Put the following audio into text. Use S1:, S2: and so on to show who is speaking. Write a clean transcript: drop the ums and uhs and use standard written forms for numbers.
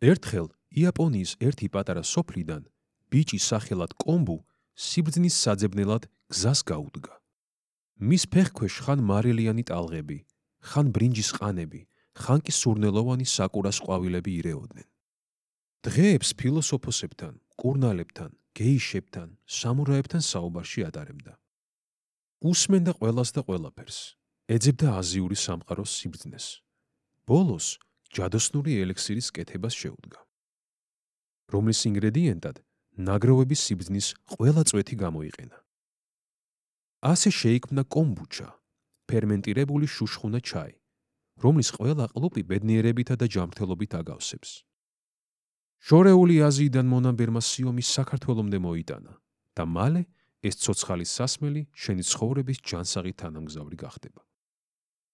S1: ერთხელ იაპონიის ერთი პატარა სოფლიდან ბიჭი სახელად კომბუ სიბრძნის საძებნელად გზას გაუდგა. მის ფეხქვეშ ხან მარილიანი ტალღები, ხან ბრინჯის ყანები, ხან კი სურნელოვანი საკურას ყვავილები ირეოდნენ. დღეებს ფილოსოფოსებთან, კურნალებთან, გეიშებთან, სამურაებთან საუბარში ატარებდა. უსმენდა ყველას და ყველაფერს, ეძებდა აზიური სამყაროს სიბრძნეს. ბოლოს ჯადოსნური ელექსირის კეთებას შეუდგა, რომლის ინგრედიენტად ნაგროვების სიბრძნის ყველა წვეთი გამოიყენა. ასე შეიქმნა კომბუჩა, ფერმენტირებული შუშხუნა ჩაი, რომლის ყველა ყლუპი ბედნიერებითა და ჯანმრთელობით აგავსებს. შორეული აზიიდან მონამბერმა სიომი საქართველომდე მოიტანა და მალე ეს ცოცხალი სასმელი შენი ცხოვრების ჯანსაღი თანამგზავრი გახდება.